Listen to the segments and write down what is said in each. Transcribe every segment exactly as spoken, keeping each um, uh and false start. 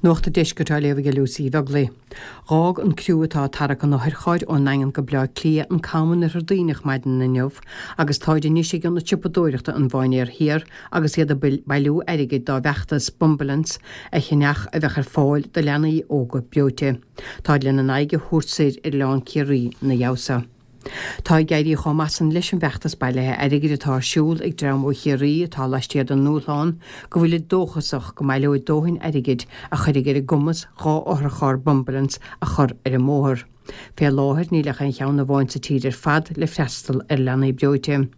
Nuacht an Deiscirt á léamh ag Lucy Bheaglaoich. Dh'fhág an criú atá ag tarrac an otharchairr ón nDaingean go Bleá Cliath an cam in Oirthear Duibhneach maidin inniu agus táid anois ag ionad siopadóireachta an Mhainéir Thiar agus iad ag bailiú airgid dá bhfeachtas Bumbulance a cheannach a bheadh ar fáil do leanaí óga breoite. Táid lena n-aghaidh a thabhairt soir ar Oileán Ciarraí ina dhiaidh so. Tá ag éirí chomh maith san leis an bhfeachtas bailithe airgid atá ar siúl ag dream ó Chiarraí atá laistiar den ndúshlán go bhfuilid dóchasach go mbaileoidh dóthain airgid a chuirfidh ar a gcumas dhá otharcharr Bumbulance a chur ar an mbóthar. Fé láthair níl ach aon cheann amháin sa tír ar fad le freastal ar leanaí breoite.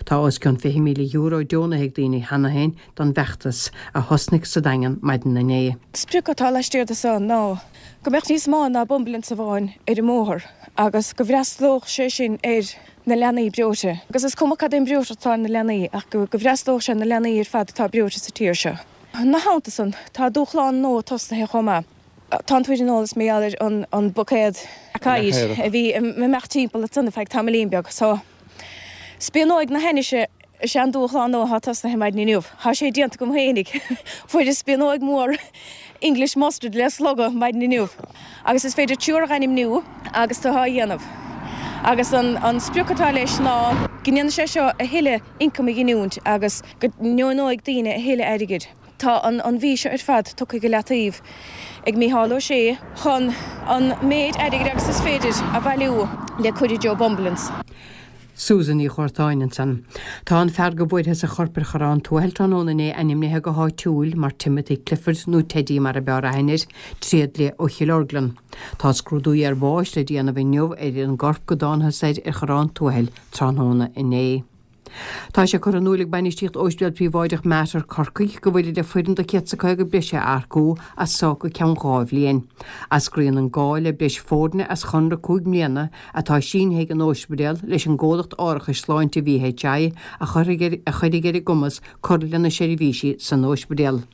Tá os cionn fiche míle euro deonaithe ag daoine cheana féin don bhfeachtas a thosnaigh sa Daingean maidin inné. Sprioc atá laistiar de seo ná go mbeadh níos mó ná Bumbulance amháin ar an mbóthar agus go bhfreastalódh sé sin ar na leanaí breoite. Agus is cuma cad é an breoiteacht atá ar na leanaí ach go bhfreastalódh sé na leanaí ar fad atá breoite sa tír seo. Ina theannta san tá dúshlán nua tosnaithe chomh maith. Tá tú ar an eolas mar gheall ar an buicéad oighir a bhí ag imeacht timpeall ansan ar feadh tamaillín beag. So spíonóg na hainnise is ea an dúshlán nua atá tosnaithe maidin inniu. Tá sé déanta agam féinig. Fuaireas spíonóg mhór English mustard le slogadh maidin inniu. Agus is féidir triúr a ainmniú agus tú á dhéanamh. Agus an an sprioc atá leis ná go ndéanfaidh sé seo a thuilleadh ioncaim a ghiniúint agus go ndeonóidh daoine a thuilleadh airgid. Tá an an mhí seo ar fad tugtha go leataobh ag Mícheál Ó Sé chun an méid airgid agus is féidir a bhailiú le cur i dtreo Bumbulance. Susan Ní Churtáin ansan. Tá an fear go bhfuarthas a chorp ar Chorrán Tuathail tráthnóna inné ainmnithe go háitiúil mar Timothy Clifford nó Teddy mar ab fhearr aithne air, tréadlia ó Chill Orglan. Tá scrúdú iarbháis le déanamh inniu ar an gcorp go dtángthas air ar Chorrán Tuathail tráthnóna inné. Tá sé curtha in iúl ag bainistíocht Ospidéal Príobháideach Mater Corcaigh go bhfuilid le foireann de céad is caoga breise a earcú as so go ceann dhá bhliain. Eascraíonn an gá le breis foirne as chonradh cúig mbliana atá sínithe ag an ospidéal leis an gcomhlacht árachais sláinte VHI a chuirfidh a chuirfidh ar a gcumas cur lena seirbhísí san ospidéal.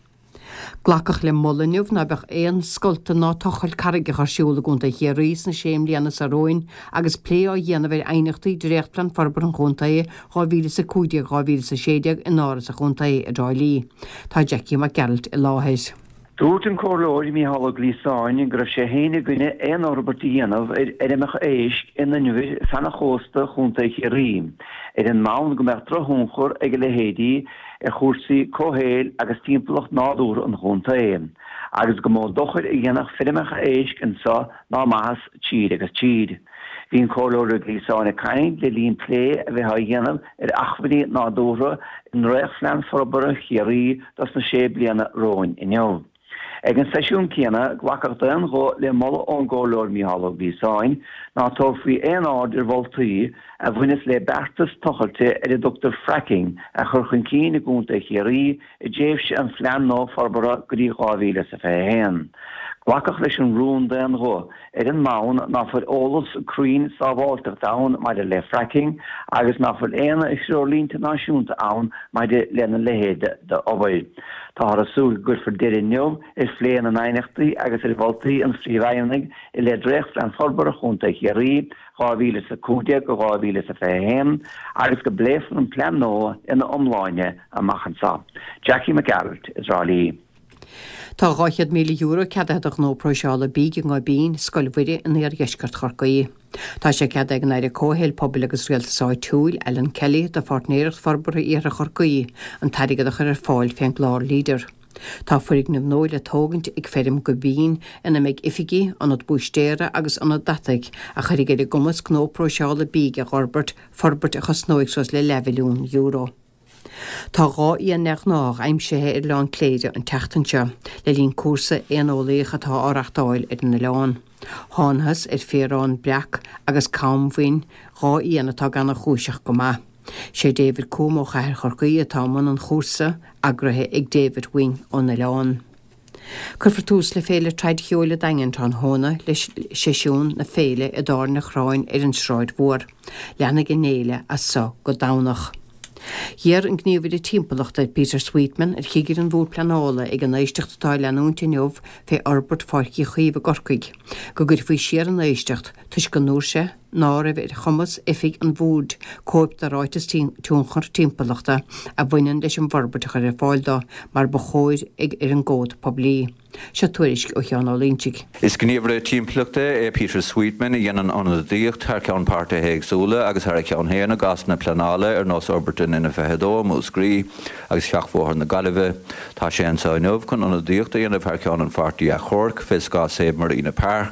Glacadh le moladh inniu ná beadh aon scolta ná tochailt carraigeacha ar siúl i gContae Chiarraí sna sé mbliana seo romhainn agus plé á dhéanamh ar aighneachtaí Dréachtphlean Forbartha an Chontae dhá mhíle is a cúig déag dhá mhíle is a sé déag in Áras an Chontae i dTrá Lí. Tá Jackie Mac Gearailt i láthair. Dúirt an Comhairleoir Mícheál Ó Gliasáin go raibh sé féin i gcoinne aon fhorbairt a dhéanamh ar fheirmeacha éisc in inbhir feadh an chósta Chontae Chiarraí, ar an mbonn go mbeadh drochthionchar ag a leithéidí ar chúrsaí comhshaoil agus timpeallacht nádúrtha an chontae, agus go mó dochair a dhéanfadh feirmeacha éisc anseo ná maitheas tríd agus tríd. Bhí an Comhairleoir Ó Gliasáin ag caint le linn plé a bheith á dhéanamh ar acmhainní nádúrtha i ndréachtphlean forbartha Chiarraí dos na sé bliana romhainn inniu. Ag an seisiún céanna, glacadh d'aon ghuth le moladh ón gComhairleoir Mícheál Ó Gliasáin ná tabharfaí aon aird ar mholtaí a bhaineas le beartas tochailte ar a dtugtar fracking a chur chun cinn i gContae Chiarraí i dtréimhse an phlean nua forbartha go dtí dhá mhíle is a fiche a haon. Glacadh leis an rún d'aon ghuth, ar an mbonn ná fuil eolas cruinn sábháilteachta ann maidir le fracking agus ná fuil aon threoirlínte náisiúnta ann maidir lena leithéid d'obair. Táthar ag súil go gcuirfear deireadh inniu ar phlé na n-aighneachtaí agus ar mholtaí an Phríomhfheidhmeannaigh i leith Dréachtphlean Forbartha Chontae Chiarraí dhá mhíle is a cúig déag go dhá mhíle is a fiche a haon agus go bpléifear an plean nua ina iomláine amach anseo. Jackie Mac Gearailt i dTrá Lí. Tá dhá chéad míle euro ceadaithe do ghnó próiseála bídh i nGoibín, Scoil Mhuire in iardheisceart Chorcaí. Tá sé ceadaithe ag an Aire Comhshaoil, Pobail agus Rialtais Áitiúil, Alan Kelly, do Pháirtnéireacht Forbartha Iarthar Chorcaí an t-airgead a chur ar fáil fén gclár Leader. Tá foirgneamh nua le tógaint ag feirm Goibín ina mbeidh oifigí, ionad búistéara agus ionad deataigh a chuirfidh ar a gcumas gnó próiseála bídh a dh'fhorbairt, forbairt a chosnóidh suas le leathmhilliún euro. Tá dhá éan neamhghnách aimsithe ar Oileán Cléire an tseachtain seo le linn cúrsa éaneolaíoch atá á reachtáil ar an oileán. Thángthas ar féarán breac agus cam bhinn, dhá éan atá gannchúiseach go maith. Sé David Coombe ó Chathair Chorcaí atá i mbun an chúrsa, eagraithe ag David Wing ón oileán. Cuirfear tús le Féile Traidcheoil an Daingin tráthnóna le seisiún na féile i dTábhairne an Chorráin ar an Sráid Mhór. Leanfaidh an fhéile as so go Domhnach. D'iarr an gníomhaire timpeallachta Peter Sweetman ar chigire an Bhoird Pleanála ag an éisteacht atá ag leanúint inniu fé fhorbairt Pháirc Uí Chaoimh i gCorcaigh go gcuirfí siar an éisteacht toisc go ndúirt sé ná raibh ar chumas oifig an bhoird cóip de ráiteas tionchar timpeallachta a bhaineann leis an bhforbairt a chur ar fáil dó mar ba chóir ag ar an gcomhad poiblí. Seo tuairisc ó Sheán Ó Loingsigh. Is gníomhaire timpeallachta é Peter Sweetman a dhéanann ionadaíocht thar ceann páirtithe éagsúla agus thar a cheann féin i gcásanna pleanála ar nós fhorbairt an N fiche dó Múscraí agus Sheachbhóthar na Gaillimhe. Tá sé anseo inniu chun ionadaíocht a dhéanamh thar ceann an pháirtí achomhairc fés gcás Save Marina Park.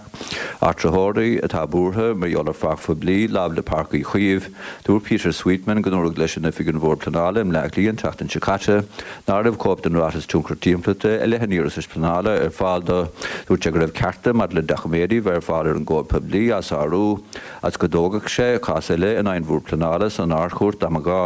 Áitritheoirí atá buartha mar gheall ar pháirc phoiblí láimh le Páirc Uí Chaoimh. Dúirt Peter Sweetman go ndúradh leis in oifig an Bhord Pleanála i mBleá Cliath an tseachtain seo caite ná raibh cóip den ráiteas tionchar timpeallachta i leith an iarratais pleanála ar fáil dó. Dúirt sé go raibh cearta maidir le doiciméidí bheith ar fáil ar an gcomhad poiblí á sárú agus go dtógfadh sé cás eile in aghaidh an Bhord Pleanála san Ardchúirt dá mba ghá.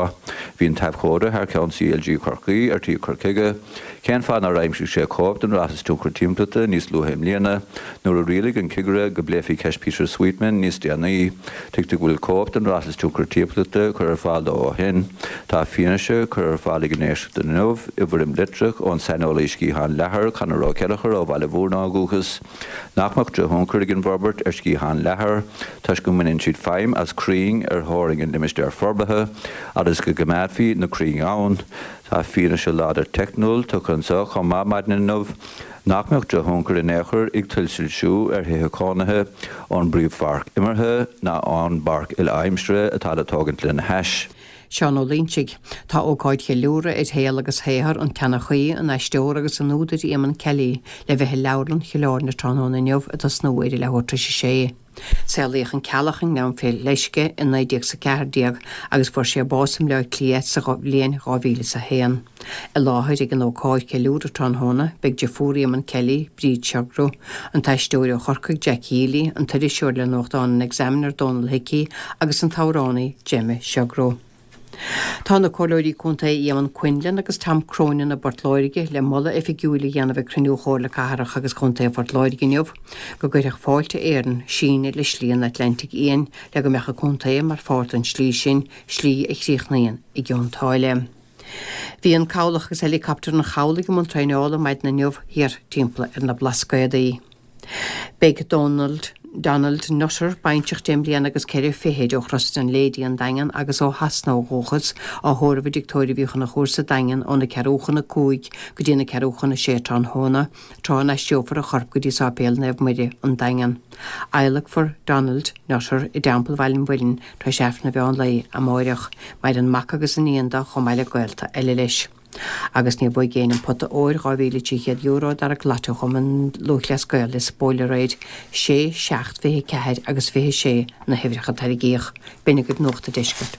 Bhí an t-abhcóide thar ceann CLG Chorcaí ar tí cur chuige. Cén fáth nár aimsigh sé cóip den ráiteas tionchar timpeallachta níos luaithe i mbliana, nuair a rialaigh an cigire go bpléifí ceist Peter Sweetman níos déanaí. Tuigtear go bhfuil cóip den ráiteas tionchar timpeallachta curtha ar fáil dó ó shin. Tá fianaise curtha ar fáil ag an éisteacht inniu i bhfoirm litreach ón saineolaí sciathán leathair Conor Ó Ceilleachair ó Bhaile Mhúrna ó dhúchas. Nach mbeadh drochthionchar ag an bhforbairt ar sciathán leathair toisc go mbaineann siad feidhm as crainn ar theorainn an limistéir forbartha agus go gcoimeádfaí na crainn ann. Tá fianaise láidir teicniúil tugtha anseo chomh maith maidin inniu nach mbeadh drochthionchar in aon chor ag tuilsoilsiú ar thithe cónaithe ón bpríomhpháirc imeartha ná ón bpáirc uile-aimsire atá le tógaint lena hais. Seán Ó Loingsigh. Tá ócáid cheiliúradh ar shaol agus shaothar an tseanchaí, an aisteora agus an údair Éamonn Kelly le bheith i Leabharlann Chill Airne tráthnóna inniu ag tosnú ar a leathuair tar éis a sé. Saolaíodh an Ceallach i nGleann Fé Leisce i naoi déag is a ceathair déag agus fuair sé bás i mBleá Cliath sa bhliain dhá mhíle is a haon. I láthair ag an ócáid cheiliúradh tráthnóna beidh deirfiúr Éamonn Kelly, Bríd Sugrue, an t-aisteoir ó Chorcaigh Jack Healy, an t-iriseoir le nuachtán an Examiner Donal Hickey agus an t-amhránaí Gemma Sugrue. Tá na Comhairleoirí Contae Éamonn Quinlan agus Tom Cronin i bPort Láirge le moladh oifigiúil a dhéanamh ag cruinniú Chomhairle Cathrach agus Contae Phort Láirge inniu go gcuirfeadh Fáilte Éireann síneadh le Slí an Atlantaigh Fhiáin le go mbeadh an contae mar pháirt den slí sin, slí a chríochnaíonn i gCionn tSáile. Bhí an cabhlach agus helicopter an chabhlaigh i mbun traenála maidin inniu thiar timpeall ar na Blascaodaí. Beidh Donald Donald Nutter, baintreach deich mbliana agus ceithre fichid ó Chros na Lady an Daingean agus ó Shasana ó dhúchas, á thórramh i dTigh Tórraimh Uí Chonchúir sa Daingean óna ceathrú chun a cúig go dtí na ceathrú chun a sé tráthnóna, tráth a n-aistreofar a chorp go dtí Sáipéal Naomh Muire, an Daingean. Adhlacfar Donald Nutter i dTeampall Bhaile an Mhuilinn tar éis Aifreann an mheán lae amáireach. Maireann mac agus iníon dó chomh maith le gaolta eile leis. Agus níor bhuaigh éinne an pota óir dhá mhíle trí chéad euro a d'earraigh Lotto Chumann Lúthchleas Gael Lios Póil aréir, sé, seacht, fiche ceathair agus fiche sé na huimhreacha a tarraingíodh. B'in agaibh Nuacht an Deiscirt.